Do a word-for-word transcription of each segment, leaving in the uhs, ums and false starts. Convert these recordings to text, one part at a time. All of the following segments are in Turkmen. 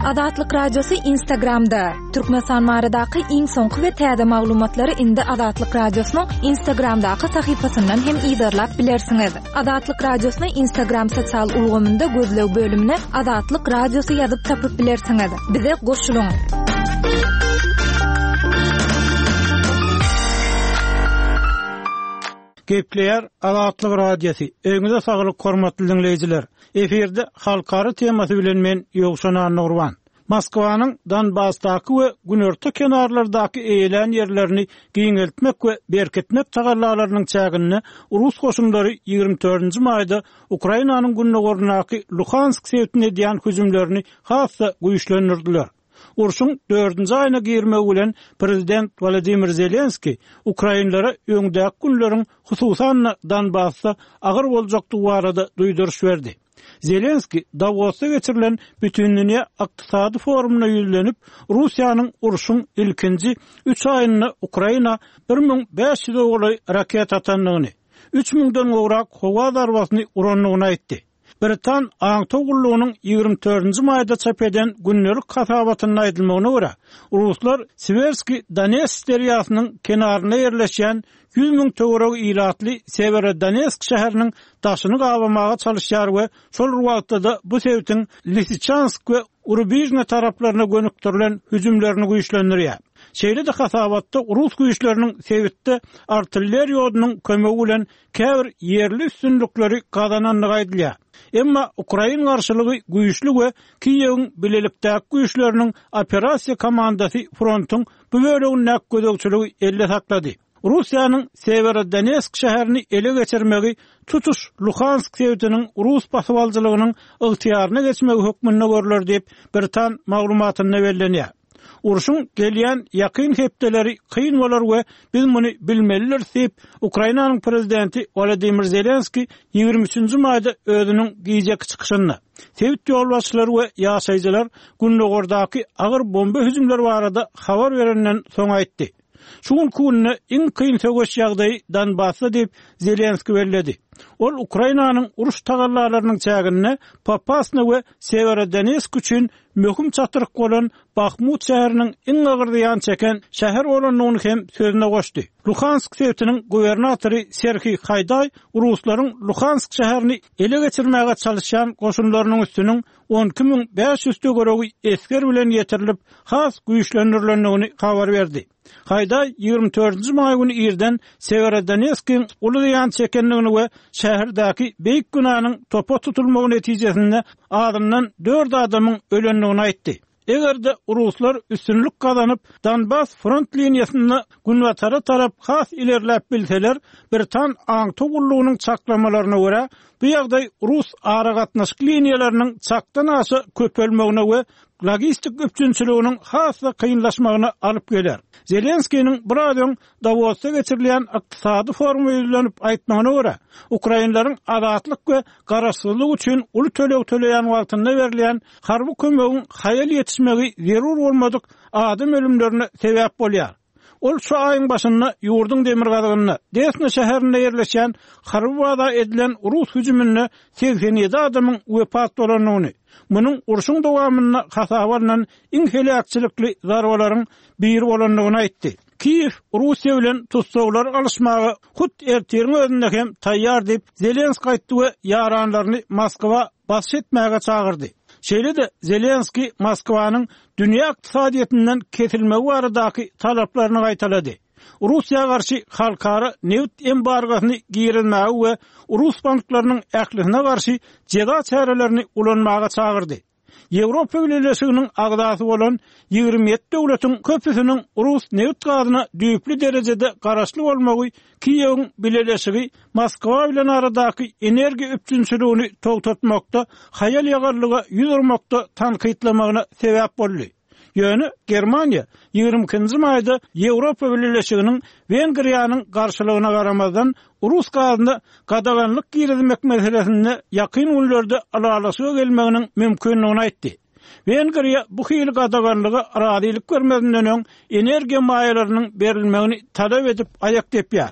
Azatlyk Radiosy Instagramda. Türkmenistan baradaky iň soňky we täze maglumatlary indi Azatlyk Radiosynyň Instagramdaky sahypasyndan hem yzarlap bilersiňiz. Azatlyk Radiosyny Instagram sosial ulgamynda gözleg bölümine Azatlyk Radiosy ýazyp tapyp bilersiňiz. Bize goşulyň. Gepleýär Azatlyk Radiosy. Öňüňize saglyk hormatly diňleýjiler. Efirde halkara temasy bilen men Ýowşan Annagurban. Moskwanyň Donbasdaky we günorta kenarlardaky eýelän ýerlerini giňeltmek we berkitmek tagallalarynyň çäginde rus goşunlary ýigrimi dördünji maýda Ukrainanyň gündogaryndaky Luhansk sebitine edýän hüjümlerini has-da güýçlendirdiler. Urşuň dördünji aýyna girmegi bilen prezident Wladimir Zelenskiý ukrainlere öňdäki günleriň hususan-da Donbasda agyr boljakdygy barada duýduryş berdi. Zelenskiý Dawosda geçirilen Bütindünýä ykdysady forumyna ýüzlenip, Russiýanyň urşuň ilkinji üç aýynda Ukraina bir müň bäş ýüze golaý raketa atandygyny, üç müňden gowrak howa zarbasyny urandygyny aýtdy. Britan aňtaw gullugynyň ýigrimi dördünji maýda çap eden gündelik hasabatynda aýdylmagyna görä, ruslar Siwerski Donets derýasynyň kenarynda ýerleşýän ýüz müň töweregi ilatly Sewerodonetsk şäheriniň daşyny gabamaga çalyşýar we şol bir wagtda-da bu sebitiň Lisiçansk we Rubižne taraplaryna gönükdirilen hüjümlerini güýçlendirýär. Şeýle-de hasabatda rus güýçleriniň sebitde artilleriýa odunyň kömegi bilen käbir ýerli üstünlikleri gazanandygy aýdylýar. Emma ukrain garşylygy güýçli we Kiýewiň bilelikdäki güýçleriniň operasiýa komandasy frontuň bu bölegindäki gözegçiligi elde saklady. Russiýanyň Sewerodonetsk şäherini ele geçirmegi tutuş Luhansk sebitiniň rus basybalyjylygynyň ygtyýaryna geçmegi hökmünde görler diýip, britan maglumatynda bellenýär. Urşuň gelýän ýakyn hepdeleri kyn bolar we biz muny bilmelidiris diýip, Ukrainanyň prezidenti Wladimir Zelenskiý ýigrimi üçünji maýda özüniň gijeki çykyşynda, sebit ýolbaşçylary we ýaşaýjylar gündogardaky agyr bomba hüjümleri barada habar berenden soň aýtdy. Şu günki günde iň kyn söweş ýagdaýy Donbasda diýip, Zelenskiý belledi. Ol Ukrainanyň uruş tagallalarynyň çäginde Popasna we Sewerodonetsk üçin möhüm çatryk bolan Bahmut şäheriniň iň agyr zyýan çeken şäher bolandygyny hem sözüne goşdy. Luhansk sebitiniň gubernatory Serhiý Haýdaý ruslaryň Luhansk şäherini ele geçirmäge çalyşýan goşunlarynyň üstüniň on iki müň bäş ýüz töweregi esger bilen ýetirilip, has güýçlendirilendigini habar berdi. Haýdaý ýigrimi dördünji maý güni irden Sewerodonetskiň uly zyýan çekendigini we şäherdäki beýik günäniň topa tutulmagy netijesinde azyndan dört adamyň ölendigini aýtdy. Eger-de ruslar üstünlik gazanyp, Donbas front liniýasynda günbatara tarap has ilerläp bilseler, Britan aňtaw gullugynyň çaklamalaryna görä, bu ýagdaý rus aragatnaşyk liniýalarynyň çakdan aşa köpelmegine we logistik üpjünçiliginiň has-da kynlaşmagyna alyp geler. Zelenskiniň biraz öň Dawosda geçirilýän ykdysady foruma ýüzlenip aýtmagyna görä, ukrainleriň azatlyk we garaşsyzlyk üçin uly töleg töleýän wagtynda berilýän harby kömegiň haýal ýetişmegi zerur bolmadyk adam ölümlerine sebäp bolýar. Ol şu aýyň başynda ýurduň demirgazygynda Desna şäherinde ýerleşýän harby baza edilen rus hüjüminde segsen ýedi adamyň wepat bolandygyny, munuň urşuň dowamynda hasaba alnan iň heläkçilikli zarbalaryň biri bolandygyny aýtdy. Kiýew Russiýa bilen tussaglar alyşmaga hut ertiriň özünde hem taýýar diýip, Zelenskiý aýtdy we ýaranlaryny Moskwa basyş etmäge çagyrdy. Şeýle-de Zelenskiý Moskwanyň dünýä ykdysadyýetinden kesilmegi baradaky talaplaryny gaýtalady. Russiýa garşy halkara nebit embargosyny girizmäge we rus banklarynyň ählisine garşy jeza çärelerini ulanmaga çagyrdy. Ýewropa Bileleşiginiň agzasy bolan ýigrimi ýedi döwletiň köpüsiniň rus nebit gazyna düýpli derejede garaşly bolmagy Kiýewiň bileleşigi Moskwa bilen aradaky energiýa üpjünçiligini togtatmakda, haýal-ýagallyga ýüz urmakda tankytlamagyna sebäp boldy. Ýöne Germaniýa ýigrimi ikinji maýda Ýewropa Bileleşiginiň Wengriýanyň garşylygyna garamazdan rus gazyna gadaganlyk girizmek meselesinde ýakyn günlerde ylalaşyga gelmeginiň mümkindigini aýtdy. Wengriýa bu hili gadaganlyga razylyk bermezinden öň energiýa maýalarynyň berilmegini talap edip aýak depýär.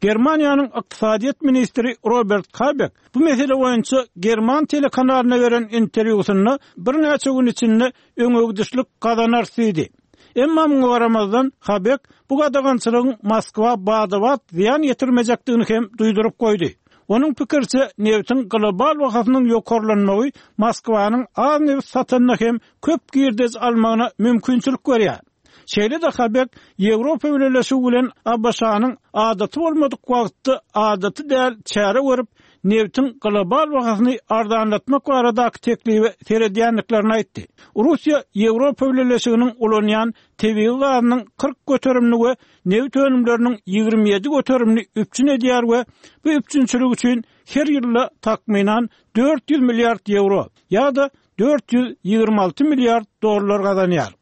Germaniýanyň ykdysadyýet ministri Robert Habeck bu mesele boýunça German telekanalyna beren interwýusynda birnäçe gün içinde öňegidişlik gazanar diýdi. Emma muňa garamazdan Habeck bu gadagançylygyň Moskwa bada-bat zyýan ýetirmejekdigini hem duýduryp goýdy. Onuň pikiriçe nebtiň global bahasynyň ýokarlanmagy Moskwanyň az neft satanyna hem köp girdej almagyna mümkinçilik berýär. Şeýle-de Habeck Ýewropa Bileleşigi bilen ABŞ-nyň adaty bolmadyk wagtda adaty däl çäre görüp, nebtiň global bahasyny arzanlatmak baradaky teklibi seredýändiklerini aýtdy. Russiýa Ýewropa Bileleşiginiň ulanýan tebigy gazynyň kyrk göterimini we neft önümleriniň ýigrimi ýedi göterimini üpjün edýär we bu üpjünçilik üçin her ýylda takmynan dört ýüz milliard ýewro ýa-da dört ýüz ýigrimi alty milliard dollar gazanýar.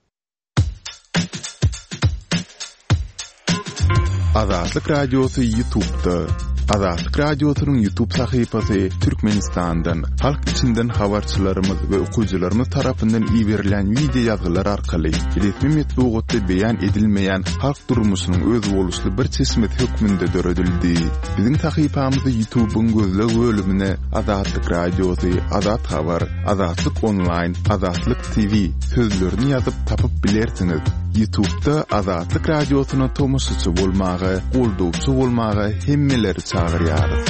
Azatlyk Radiosy YouTube'da. Azatlyk Radiosynyň YouTube sahypasy Türkmenistandan, halk içinden habarçylarymyz we okyjylarymyz tarapyndan iberilen video ýazgylar arkaly resmi metbugatda beýan edilmeýän halk durmuşynyň özboluşly bir çeşmesi hökmünde döredildi. Biziň sahypamyzy YouTube'yň gözleg bölümine Azatlyk Radiosy, Azat Habar, Azatlyk Online, Azatlyk T V sözlerini ýazyp tapyp bilersiňiz. YouTube'da Azatlyk Radiosyna tomaşaçy bolmaga, goldawçy bolmaga hemmeleri çagyrýarys.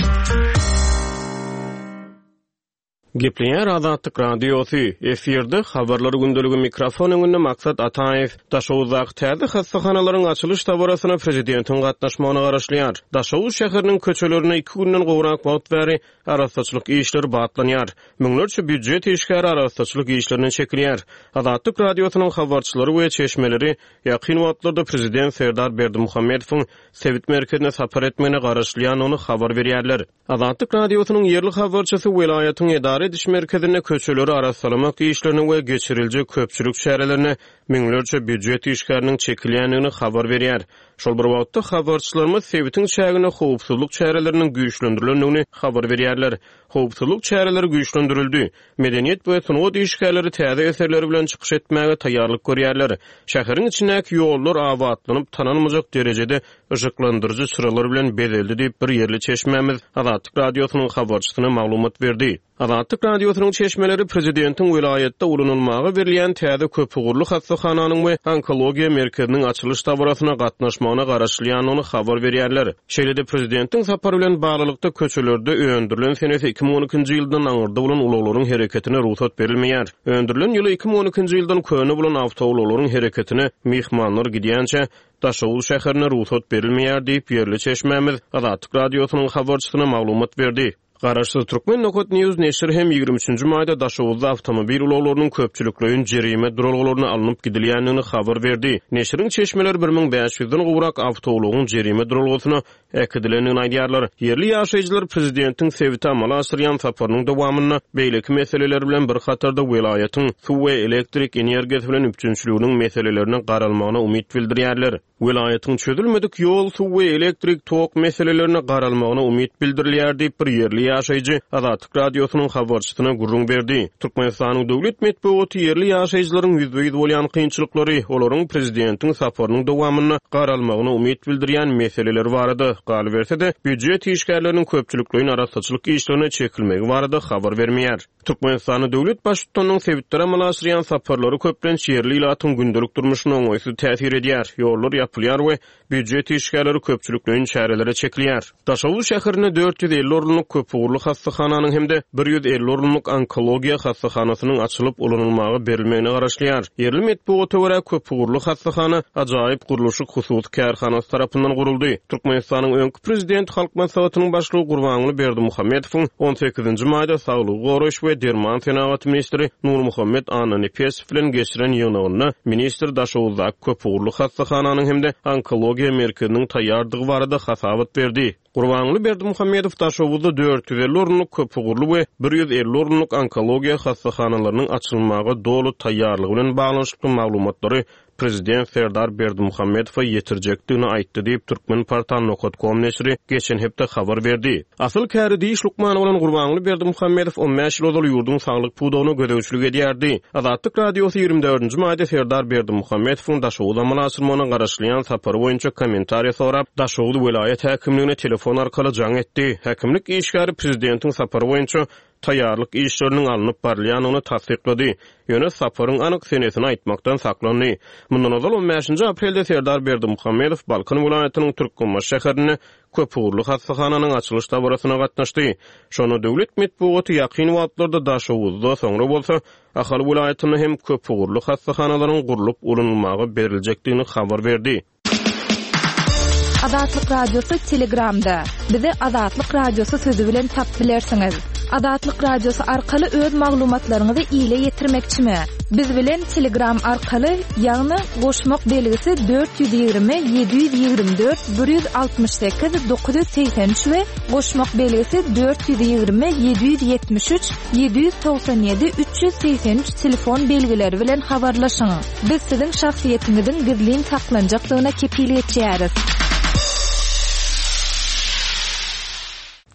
Gepleýär Azatlyk Radiosy, efirde habarlar gündeligi mikrofon öňünde Maksat Ataýew. Daşoguzdaky täze hassahanalaryň açylyş dabarasyna prezidentiň gatnaşmagyna garaşylýar. Daşoguz şäheriniň köçelerine iki günden gowrak wagt bäri arassaçylyk işleri batlanýar. Müňlerçe býujet işgäri arassaçylyk işlerine çekilýär. Azatlyk Radiosynyň habarçylary we çeşmeleri ýakyn wagtlarda prezident Serdar Berdimuhamedowyň sebit merkezine sapar etmegine garaşylýandygyny habar berýärler. Azatlyk Radiosynyň ýerli habarçysy welaýatyň edara ediş merkezinde köçeleri arassalamak işlerine we geçiriljek köpçülik çärelerine müňlerçe býujet işgäriniň çekilýändigini habar berýär. Şol bir wagtda habarçylarymyz sebitiň çäginde howpsuzlyk çäreleriniň güýçlendirilendigini habar berýärler. Howpsuzlyk çäreleri güýçlendirildi. Medeniýet we sungat işgärleri täze eserleri bilen çykyş etmäge taýýarlyk görýärler. Şäheriň içindäki ýollar abatlanyp tanalmajak derejede yşyklandyryjy çyralar bilen bezeldi diýip bir ýerli çeşmämiz Azatlyk Radiosynyň habarçysyna maglumat berdi. Azatlyk Radiosynyň çeşmeleri prezidentiň welaýatda ulanylmaga berilýän täze köpugurly hassahananyň we onkologiýa merkeziniň açylyş dabarasyna gatnaşmagyna garaşylýandygyny habar berýärler. Şeýle-de prezidentiň sapary bilen baglylykda köçelerde öndürilen senesi iki müň on ikinji ýyldan aňyrda bolan ulaglaryň hereketine rugsat berilmeýär. Öndürilen ýyly iki müň on ikinji ýyldan köne bolan awtoulaglaryň hereketine myhmanlar gidýänçä Daşoguz şäherine rugsat berilmeýär diýip ýerli çeşmämiz Azatlyk Radiosynyň habarçysyna maglumat berdi. Garaşsyz Türkmen Nokat News neşiri hem ýigrimi üçünji maýda Daşoguzda awtomobil ulaglarynyň köpçülikleýin jerime duralgalaryna alnyp gidilýändigini habar berdi. Neşiriň çeşmeleri bir müň bäş ýüzden gowrak awtoulagyň jerime duralgasyna äkidilendigini aýdýarlar. Ýerli ýaşaýjylar prezidentiň sebite amala aşyrýan saparynyň dowamynda beýleki meseleler bilen bir hatarda welaýatyň suw we elektrik energiýasy bilen üpjünçiliginiň meselelerine garalmagyna umyt bildirýärler. Welaýatyň çözülmedik ýol, suw we elektrik tok meselelerine garalmagyna umyt bildirilýär diýip bir ýerli ýaşaýjy Azatlyk Radiosynyň habarçysyna gürrüň berdi. Türkmenistanyň döwlet metbugaty ýerli ýaşaýjylaryň ýüzbe-ýüz bolýan kynçylyklary, olaryň prezidentiň saparynyň dowamynda garalmagyna umyt bildirýän meseleleri barada galyberse-de, býujet işgärleriniň köpçülikleýin arassaçylyk işlerine çekilmegi barada habar bermeýär. Türkmenistanyň döwlet baştutanynyň sebitlere amala aşyrýan saparlary köplenç ýerli ilatyň gündelik durmuşyna oňaýsyz täsir edýär. Ýollar ýapylýar we býujet işgärleri köpçülikleýin çärelere çekilýär. Daşoguz şäherinde dört ýüz elli orunlyk köpugurly hassahananyň hem-de bir ýüz elli orunlyk onkologiýa hassahanasynyň açylyp ulanylmaga berilmegine garaşylýar. Ýerli metbugata görä köpugurly hassahana ajaýyp gurluşyk hususy kärhanasy tarapyndan guruldy. Türkmenistanyň öňki prezidenti Halk Maslahatynyň başlygy Gurbanguly Berdimuhamedowyň on sekizinji maýda saglygy goraýyş we derman senagaty ministri Nurmuhammet Annanepesow bilen geçiren ýygnagynda ministr Daşoguzdaky köpugurly hassahananyň hem-de onkologiýa merkeziniň taýýardygy barada hasabat berdi. Gurbanguly Berdimuhamedow Daşoguzda dört ýüz elli orunlyk köpugurly we bir ýüz elli orunlyk onkologiýa hassahanalarynyň açylmaga doly taýýarlygy bilen baglanyşykly maglumatlary Prezident Serdar Berdimuhamedowa ýetirjekdigini aýtdy diýip Türkmenportal nokta com neşiri geçen hepde habar berdi. Asyl käri diş lukmany bolan Gurbanguly Berdimuhamedow on bäş ýyl ozal ýurduň saglyk pudagyna gözegçilik edýärdi. Azatlyk Radiosy ýigrimi dördünji maýda Serdar Berdimuhamedowyň Daşoguz amala aşyrmagyna garaşylýan sapary boýunça kommentariýa sorap, Daşoguz welaýat häkimligine telefon arkaly jaň etdi. Häkimlik işgäri prezidentiň sapary boýunça taýýarlyk işleriniň alnyp barylýanyny tassyklady. Ýöne saparyň anyk senesini aýtmakdan saklandy. Mundan ozal on bäşinji aprelde Serdar Berdimuhamedow Balkan welaýatynyň Türkmenbaşy şäherinde köpugurly hassahananyň açylyş dabarasyna gatnaşdy. Şonda döwlet metbugaty ýakyn wagtlarda Daşoguzda, soňra bolsa Ahal welaýatynda hem köpugurly hassahanalaryň gurlup ulanylmaga beriljekdigini habar berdi. Azatlyk Radiosy Telegramda. Bizi Azatlyk Radiosy sözü bilen tap bilersiňiz. Azatlyk Radiosy arkaly öz maglumatlaryňyzy ile ýetirmekçimi? Biz bilen Telegram arkaly, ýagny goşmak belgisi dört ýüz ýigrimi, ýedi ýüz ýigrimi dört, bir ýüz altmyş sekiz, dokuz ýüz segsen üç we goşmak belgisi dört ýüz ýigrimi, ýedi ýüz ýetmiş üç, ýedi ýüz togsan ýedi, üç ýüz segsen üç telefon belgileri bilen habarlaşyň. Biz siziň şahsyýetiňiziň gizlin saklanjakdygyna kepil geçýäris.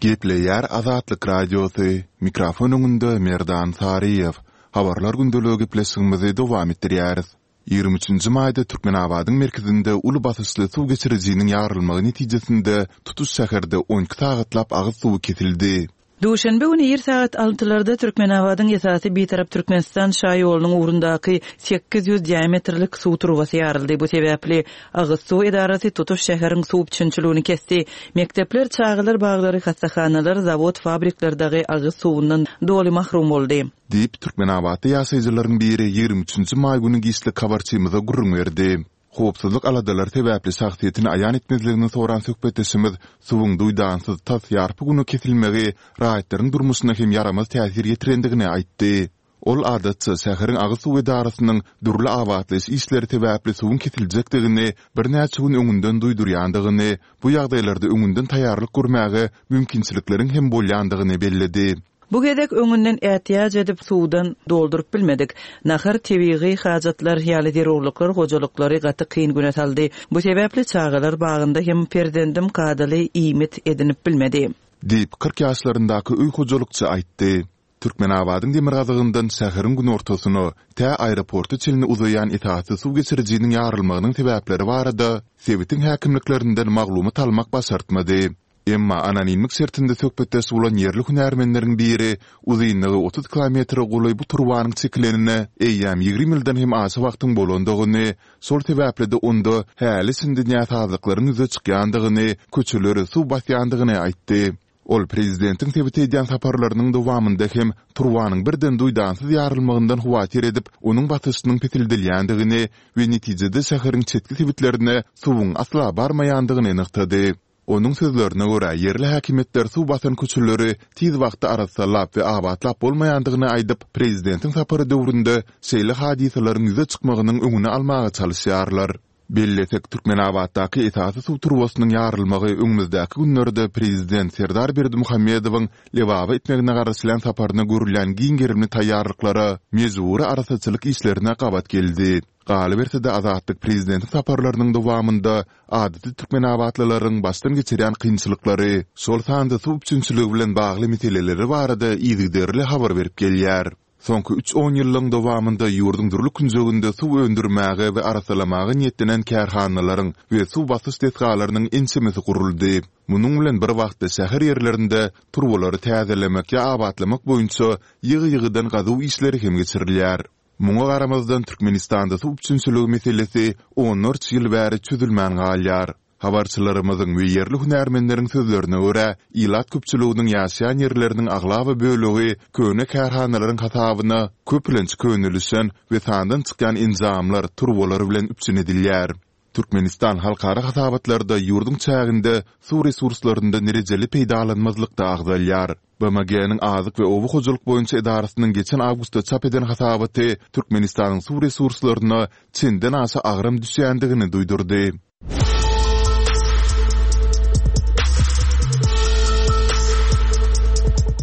Gepleýär Azatlyk Radiosy. Mikrofon öňünde Merdan Saryýew. Habarlar gündeligi gepleşigimizi dowam etdirýäris. Ýigrimi üçünji maýda Türkmenabadyň merkezinde uly basyşly suw geçirijiniň ýarylmagy netijesinde tutuş şäherde on iki sagatlap agyz suwy kesildi. Duşenbe güni ir sagat altylarda Türkmenabadyň esasy Bitarap Türkmenistan şaýolunyň ugrundaky sekiz ýüz diametrlik suw turbasy ýaryldy. Bu sebäpli agyz suw edarasy tutuş şäheriň suw üpjünçiligini kesdi. Mekdepler, çagalar baglary, hassahanalar, zawod, fabrikler dagy agyz suwundan doly mahrum boldy. Diýip Türkmenabatda ýaşaýjylaryň biri ýigrimi üçünji maý güni giçlik habarçymyza gürrüň berdi. Howpsuzlyk aladalary sebäpli şahsyýetini aýan etmezligini soran söhbetdeşimiz suwuň duýdansyz tas ýarpy güni kesilmegi raýatlaryň durmuşyna hem ýaramaz täsir ýetirendigini aýtdy. Ol adatça şäheriň agyz suw edarasynyň dürli abatlaýyş işleri sebäpli suwuň kesiljekdigini birnäçe gün öňünden duýdurýandygyny, bu ýagdaýlarda öňünden taýýarlyk görmäge mümkinçilikleriň hem bolýandygyny belledi. Bu gezek öňünden ätiýaç edip suwdan dolduryp bilmedik. Nahar tebigy hajatlar ýaly zerurlyklar hojalyklary gaty kyn güne saldy. Bu sebäpli çagalar bagynda hem perzendim kadaly iýmit edinip bilmedi. Diýip kyrk ýaşlaryndaky öý hojalykçy aýtdy. Türkmenabadyň demirgazygyndan şäheriň günortasyna tä aeroporta çenli uzaýan esasy suw geçirijiniň ýarylmagynyň sebäpleri barada sebitiň häkimliklerinden maglumat almak başartmady. Emma anonimlik şertinde söhbetdeş bolan ýerli hünärmenleriň biri uzynlygy otuz kilometre golaý bu turbanyň çekilenine eýýäm ýigrimi ýyldan hem aşa wagtyň bolandygyny, şol sebäpli-de onda häli şindi näsazlyklaryň ýüze çykýandygyny, köçeleri suw basýandygyny aýtdy. Ol prezidentiň sebite edýän saparlarynyň dowamynda hem turbanyň birden duýdansyz ýarylmagyndan howatyr edip, onuň basyşynyň pesildilýändigini we netijede şäheriň çetki sebitlerine suwuň asla barmaýandygyny nygtady. Onuň sözlerine görä, ýerli häkimiýetler suw basan köçeleri tiz wagtda arassalap we abatlap bolmaýandygyny aýdyp, prezidentiň sapary döwründe şeýle hadysalaryň ýüze çykmagynyň öňüni almaga çalyşýarlar. Bellesek, Türkmenabatdaky esasy suw turbasynyň ýarylmagy öňümizdäki günlerde prezident Serdar Berdimuhamedowyň Lebaba etmegine garaşylýan saparyna görülýän giň gerimli taýýarlyklara, mejbury arassaçylyk işlerine gabat geldi. Galyberse-de Azatlyk prezidentiň saparlarynyň dowamynda adaty türkmenabatlylaryň başdan geçirýän kynçylyklary, şol sanda suw üpjünçiligi bilen bagly meseleleri barada yzygiderli habar berip gelýär. Soňky üç on ýyllygyň dowamynda ýurduň dürli künjeginde suw öndürmäge we arassalamaga niýetlenen kärhanalaryň we suw basyş desgalarynyň ençemesi guruldy. Munuň bilen bir wagtda şäher ýerlerinde turbalary täzelemek ýa abatlamak boýunça ýygy-ýygydan gazuw işleri hem geçirilýär. Muňa garamazdan Türkmenistanda suw üpjünçiligi meselesi onlarça ýyl bäri çözülmän galýar. Habarçylarymyzyň we ýerli hünärmenleriň sözlerine görä, ilat köpçüliginiň ýaşaýan ýerleriniň aglaba bölegi köne kärhanalaryň hasabyna köplenç könelişen we sandan çykýan enjamlar, turbalar bilen üpjün edilýär. Türkmenistan halkara hasabatlarda ýurduň çäginde suw resurslaryndan rejeli peýdalanmazlykda agzalýar. B M G-niň Azyk we Oba hojalyk boýunça edarasynyň geçen awgustda çap eden hasabaty Türkmenistanyň suw resurslaryna çenden aşa agram düşýändigini duýdurdy.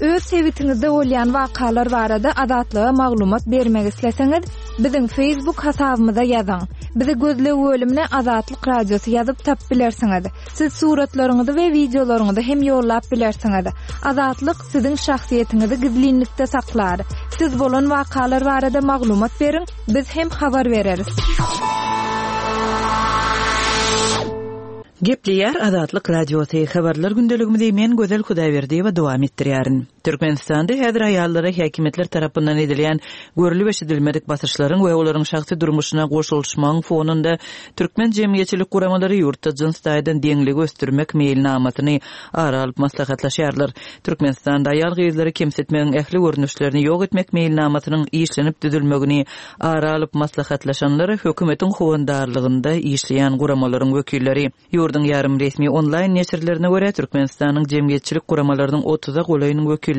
Öz sebitiňizde bolýan wakalar barada Azatlyga maglumat bermek isleseňiz, biziň Facebook hasabymyza ýazyň. Bizi gözleg bölümine Azatlyk Radiosy ýazyp tapyp bilersiňiz. Siz suratlaryňyzy we wideolaryňyzy hem ýollap bilersiňiz. Azatlyk siziň şahsyýetiňizi gizlinlikde saklar. Siz bolan wakalar barada maglumat beriň, biz hem habar bereris. Gepleýär Azatlyk Radiosy habarlar gündeligimizi men Gözel Hudaýberdiýewa dowam etdirýärin. Türkmenistanda häzir aýallara häkimiýetler tarapyndan edilýän görülip eşidilmedik basyşlaryň we olaryň şahsy durmuşyna goşulyşmagyň fonunda türkmen jemgyýetçilik guramalary ýurtda jyns taýdan deňligi ösdürmek meýilnamasyny ara alyp maslahatlaşýarlar. Türkmenistanda aýal gyzlary kemsitmegiň ähli görnüşlerini ýok etmek meýilnamasynyň işlenip düzülmegini ara alyp maslahatlaşanlar hökümetiň howandarlygynda işleýän guramalaryň wekilleri. Ýurduň ýarym resmi onlaýn neşirlerine görä Türkmenistanyň jemgyýetçilik guramalarynyň otuza golaýynyň wekilleri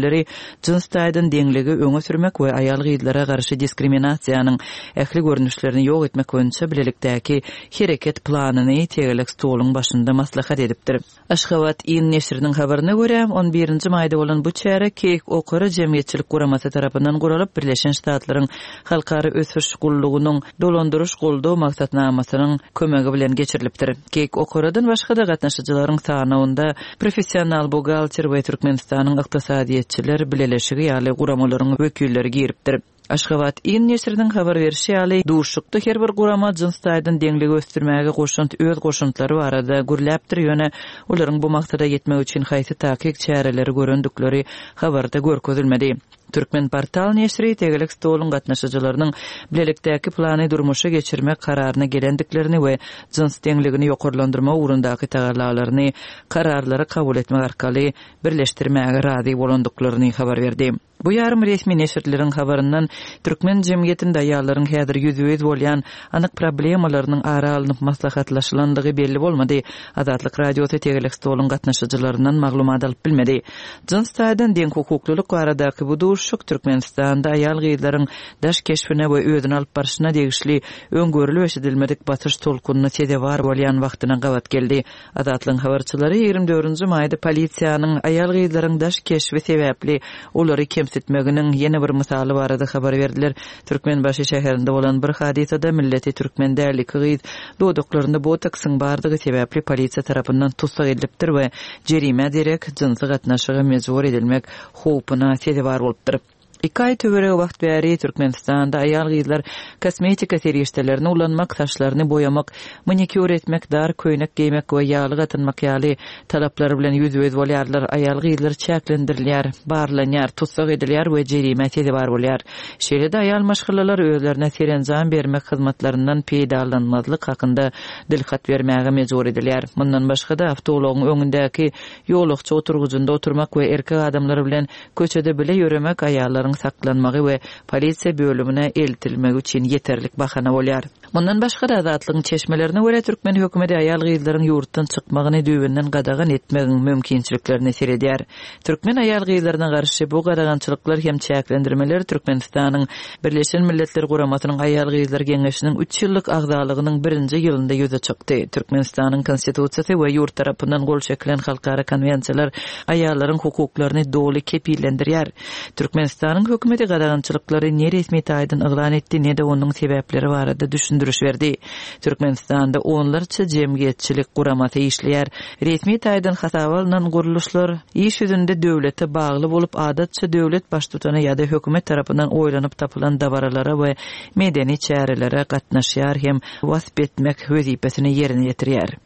jyns taýdan deňligi öňe sürmek we aýal gyzlara garşy diskriminasiýanyň ähli görnüşlerini ýok etmek boýunça bilelikdäki hereket planyny tegelek stoluň başynda maslahat edipdir. Aşgabat in neşiriniň habaryna görä on birinji maýda bolan bu çäre Keýik Okara jemgyýetçilik guramasy tarapyndan guralyp Birleşen Ştatlaryň Halkara Ösüş Gullugynyň dolandyryş goldaw maksatnamasynyň kömegi bilen geçirilipdir. Keýik Okaradan başga da gatnaşyjylaryň sanawynda professional buhgalter we Türkmenistanyň ykdysadyýetçiler bileleşigi ýaly guramalaryň wekilleri giripdir. Aşgabat in neşiriniň habar berişi ýaly duşukda her bir gurama jyns taýdan deňligi ösdürmäge goşant öz goşantlary barada gürläpdir, ýöne olaryň bu maksada ýetmek üçin haýsy takyk çäreleri görendikleri habarda görkezilmedi. Türkmen portal neşiri tegelek stoluň gatnaşyjylarynyň bilelikdäki plany durmuşa geçirmek kararyna gelendiklerini we jyns deňligini ýokarlandyrmak ugrundaky tagallalaryny kararlary kabul etmek arkaly birleşdirmäge razy bolandyklaryny habar berdi. Bu ýarym resmi neşirleriň habaryndan Türkmen jemgyýetinde aýallaryň häzir ýüzbe-ýüz bolýan anyk problemalarynyň ara alnyp maslahatlaşylandygy belli bolmady. Azatlyk Radiosy tegelek stoluň gatnaşyjylaryndan maglumat alyp bilmedi. Jyns taýdan deň hukuklylyk baradaky bu duşuşyk Türkmenistanda aýal gyzlaryň daş keşbine we özüni alyp barşyna degişli öňgörülip eşidilmedik basyş tolkunyna sezewar bolýan wagtyna gabat geldi. Azatlygyň habarçylary ýigrimi dördünji maýda polisiýanyň aýal gyzlaryň daş keşbi sebäpli olary kemsitmeginiň ýene bir mysaly barada habar berdiler. Türkmenbaşy şäherinde bolan bir hadysada milleti türkmen däl iki gyz dodaklarynda botoksyň bardygy sebäpli polisiýa tarapyndan tussag edilipdir we jerime derek jynsy gatnaşyga mejbur edilmek howpuna sezewar bolupdyr. Iki aý töweregi wagt bäri Türkmenistanda aýal gyzlar kosmetika serişdelerini ulanmak, saçlaryny boýamak, manikýur etmek, dar köýnek geýmek we ýagly gatynmak ýaly talaplar bilen ýüzbe-ýüz bolýarlar. Aýal gyzlar çäklendirilýär, barlanýar, tussag edilýär we jerime sezewar bolýar. Şeýle-de aýal maşgalalar özlerine serenjam bermek hyzmatlaryndan peýdalanmazlyk hakynda dilhat bermäge mejbur edilýär. Mundan başga-da awtoulagyň öňündäki ýolagçy oturgyjynda oturmak we erkek adamlar bilen köçede bile ýöremek aýallaryň saklanmagy we polisiýa bölümine eltilmegi üçin ýeterlik bahana bolýar. Mundan başga da Azatlygyň çeşmelerine görä türkmen hökümeti aýal gyzlaryň ýurtdan çykmagyny düýbünden gadagan etmegiň mümkinçiliklerini seredýär. Türkmen aýal gyzlaryna garşy bu gadagançylyklar hem çäklendirmeler Türkmenistanyň Birleşen Milletler Guramasynyň Aýal Gyzlar Geňeşiniň üç ýyllyk agzalygynyň birinji ýylynda ýüze çykdy. Türkmenistanyň konstitusiýasy we ýurt tarapyndan gol çekilen halkara konwensiýalar aýallaryň hukuklaryny doly kepillendirýär. Türkmenistanyň hökümeti gadagançylyklary ne resmi taýdan yglan etdi, ne de onuň sebäpleri barada düşündiriş berdi. Türkmenistanda onlarça jemgyýetçilik guramasy işleýär. Resmi taýdan hasaba alynan gurluşlar iş ýüzünde döwlete bagly bolup, adatça döwlet baştutany ýa-da hökümet tarapyndan oýlanyp tapylan dabaralara we medeni çärelere gatnaşýar hem wasp etmek wezipesini ýerine ýetirýär.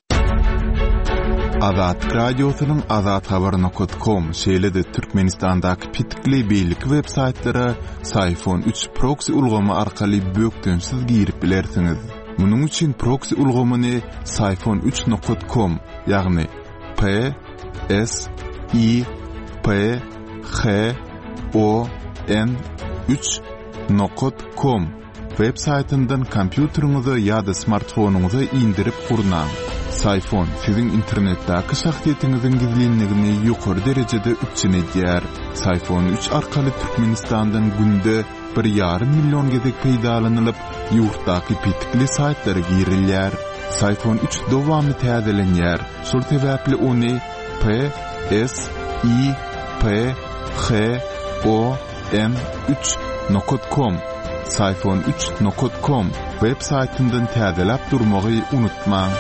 Azatlyk Radiosynyň azathabar nokta com şeýle-de Türkmenistandaky petikli beýleki web saýtlara Syfon üç proxy ulgamy arkaly bökdençsiz girip bilersiňiz. Munuň üçin proxy ulgamyny Syfon üç nokta com, ýagny P S I P H O N üç nokta com web saýtyndan kompýuteriňize ýa-da smartfonyňyza indirip gurnaň. Syfon siziň internetdäki şahsyýetiňiziň gizlinligini ýokary derejede üpjün edýär. Syfon üç arkaly Türkmenistandan günde bir ýarym million gezek peýdalanylyp, ýurtdaky petikli saýtlara girilýär. Syfon üç dowamly täzelenýär. Şol sebäpli ony P S I P H O N üç nokta com Syfon üç nokat com web saýtyndan täzeläp durmagy unutmaň.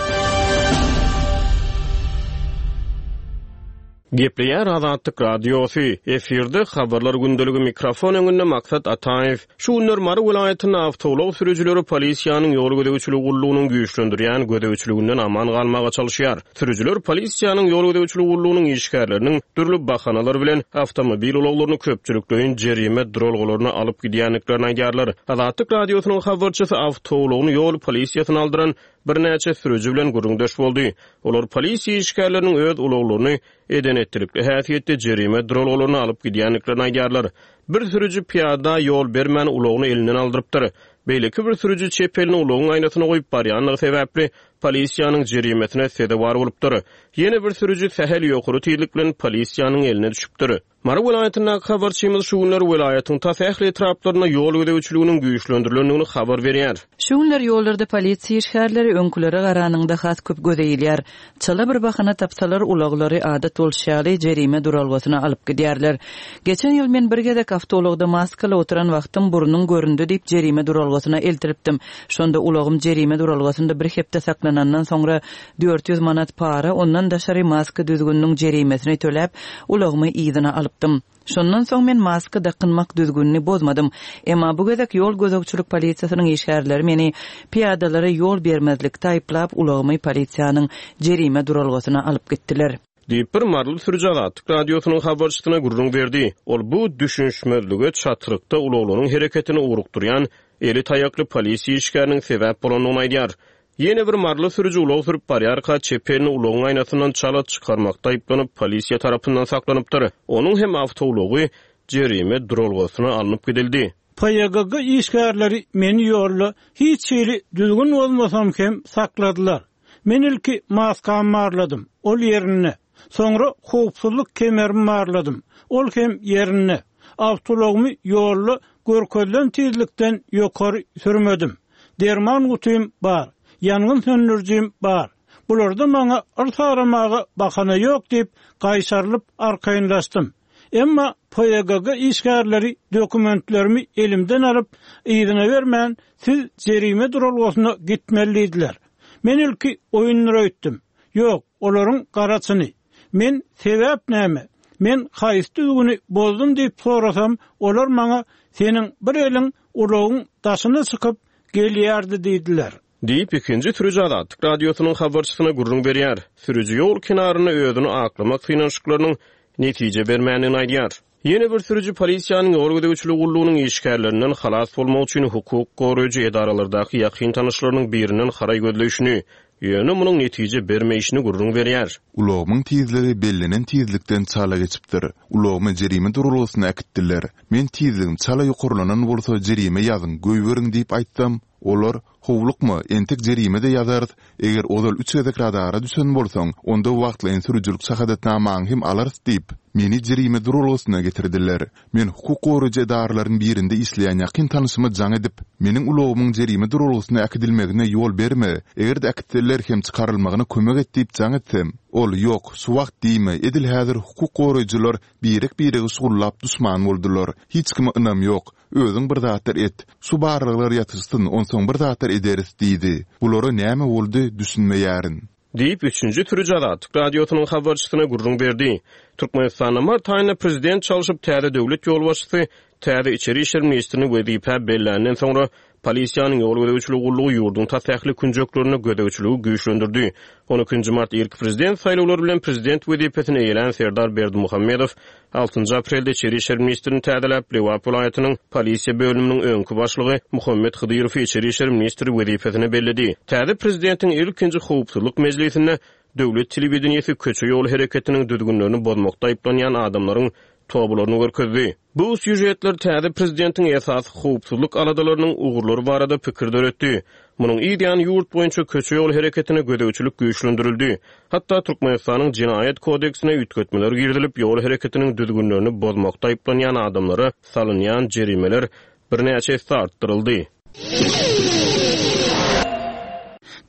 Gepleýär Azatlyk Radiosy, efirde habarlar gündeligi mikrofon öňünde Maksat Ataýew. Şu günler Mary welaýatynda awtoulag sürüjileri polisiýanyň ýol gözegçiligi gullugynyň güýçlendirýän gözegçiliginden aman galmaga çalyşýar. Sürüjiler polisiýanyň ýol gözegçiligi gullugynyň işgärleriniň dürli bahanalar bilen awtomobil ulaglaryny köpçülikleýin jerime duralgalaryna alyp gidýändiklerini aýdýarlar. Azatlyk Radiosynyň habarçysy awtoulagyny ýol polisiýasyna aldyran birnäçe sürüji bilen gürrüňdeş boldy. Olar polisiýa işgärleriniň öz ulaglaryny eden etdilikli häsiýetde jerime duralgalaryna alyp gidýändiklerini aýdýarlar. Bir sürüji piyada ýol bermän ulagyny elinden aldyrypdyr. Beýleki bir sürüji çep elini ulagyň aýnasyna goýup barýanlygy sebäpli polisiýanyň jerimesine sezewar bolupdyr. Ýene bir sürüji sähel ýokary tizlik bilen polisiýanyň eline düşüpdir. Mary welaýatyndaky habarçymyz şu günler welaýatyň tas ähli etraplarynda ýol gözegçiliginiň güýçlendirilendigini habar berýär. Şu günler ýollarda polisiýa işgärleri öňkülere garanyňda has köp göze ilýär. Çala bir bahana tapsalar ulaglary adat bolşy ýaly jerime duralgasyna alyp gidýärler. Geçen ýyl men bir gezek awtoulagda maskaly oturan wagtym burnuň göründi diýip jerime duralgasyna eltiripdim. Şonda ulagym jerime duralgasynda bir hepde saklanandan soňra dört ýüz manat para, ondan daşary maska düzgüniniň jerimesini töläp, ulagymy yzyna alypdym. Şondan soň men maska dakynmak düzgünini bozmadym. Emma bu gezek ýol gözegçilik polisiýasynyň işgärleri meni piyadalara ýol bermezlikde aýyplap ulagymy polisiýanyň jerime duralgasyna alyp gitdiler. Diýip bir Maryly sürüji Azatlyk Radiosynyň habarçysyna gürrüň berdi. Ol bu düşünişmezlige çatrykda ulaglaryň hereketini ugrukdurýan eli taýakly polisiýa işgäriniň sebäp bolandygyny aýdýar. Ýene bir Maryly sürüji ulag sürüp barýarka çep elini ulagyň aýnasyndan çala çykarmakda aýyplanyp polisiýa tarapyndan saklanypdyr. Onuň hem awtoulagy jerime duralgasyna alnyp gidildi. P Y G G işgärleri meni ýolda hiç hili düzgün bolmasam hem sakladylar. Men ilki maskamy barladym, ol ýerinde. Soňra howpsuzlyk kemerimi barladym, ol hem ýerinde. Awtoulagymy ýolda görkezilen tizlikden ýokary sürmedim. Derman gutym bar, ýangyn söndürjim bar. Bularda maňa yrs aramaga bahana ýok diýip gaýşarylyp arkaýynlaşdym. Emma P Y G G işgärleri dokumentlerimi elimden alyp yzyna bermän siz jerime duralgasyna gitmeli diýdiler. Men ilki oýunlara öýtdüm. Ýok, olaryň garaçyny. Men sebäp näme? Men haýsy düzgüni bozdum diýip sorasam, olar maňa seniň bir eliň ulagyň daşyna çykyp gelýärdi diýdiler. Diýip ikinji sürüji Azatlyk Radiosynyň habarçysyna gürrüň berýär. Sürüji ýol kenarynda özüni aklamak synanyşyklarynyň netije bermändigini aýdýar. Ýene bir sürüji polisiýanyň ýol gözegçiligi gullugynyň işgärlerinden halas bolmak üçin hukuk goraýjy edaralardaky ýakyn tanyşlarynyň birinden haraý gözleýşini, ýöne munuň netije bermeýşini gürrüň berýär. Ulagymyň tizligi bellenen tizlikden çala geçipdir. Ulagymy jerime duralgasyna äkitdiler. Men tizligim çala ýokarlanan bolsa jerime ýazyň, goýberiň diýip aýtsam, olar howlukma, entek jerime de ýazarys. Eger ozal üç gezek radara düşen bolsaň, onda wagtlaýyn sürüjilik şahadatnamaňy hem alarys diýip, meni jerime duralgasyna getirdiler. Men hukuk goraýjy edaralaryň birinde işleýän ýakyn tanyşyma jaň edip, meniň ulagymyň jerime duralgasyna äkidilmegine ýol berme, eger-de äkitseler hem çykarylmagyna kömek et diýip jaň etsem, ol ýok, şu wagt diýme, edil häzir hukuk goraýjylar birek-biregi şugullap düşman boldular. Hiç kime ynam ýok. Özüň bir zatlar et. Şu barlyklar ýatyşsyn, onsoň bir zatlar ederis diýdi. Bulara näme boldy, düşünmeýärin. Diýip üçünji sürüji Azatlyk Radiosynyň habarçysyna gürrüň berdi. Türkmenistanda mart aýynda prezident çalşyp täze döwlet ýolbaşçysy täze içeri işler ministrini wezipä belländen soňra polisiýanyň ýol gözegçiligi gullugy ýurduň tas ähli künjeklerinde gözegçiligi güýçlendirdi. On ikinji mart ilki prezident saýlawlary bilen prezident wezipesini eýelän Serdar Berdimuhamedow altynjy aprelde içeri işler ministrini täzeläp Lebap welaýatynyň polisiýa bölüminiň öňki başlygy Muhammet Hydyrowy içeri işler ministri wezipesine belledi. Täze prezidentiň ilkinji howpsuzlyk mejlisinde döwlet telewideniýesi köçe ýol hereketiniň düzgünlerini bozmakda aýyplanýan adamlaryň tobalaryny görkezdi. Bu süjetler täze prezidentiň esasy howpsuzlyk aladalarynyň ugurlary barada pikir döretdi. Munuň ýan ýurt boýunça köçe ýol hereketine gözegçilik güýçlendirildi. Hatda Türkmenistanyň Jenaýat kodeksine üýtgetmeler girizilip, ýol hereketiniň düzgünlerini bozmakda aýyplanýan adamlara salynýan jerimeler birnäçe esse artdyryldy.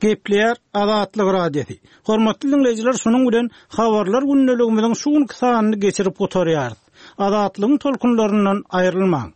Gepleýär Azatlyk Radiosy. Hormatly dinleýjiler, şunuň bilen habarlar gündeligimiziň şu günki sanyny geçirip gutarýarys. Azatlygyň tolkunlaryndan aýrylmaň.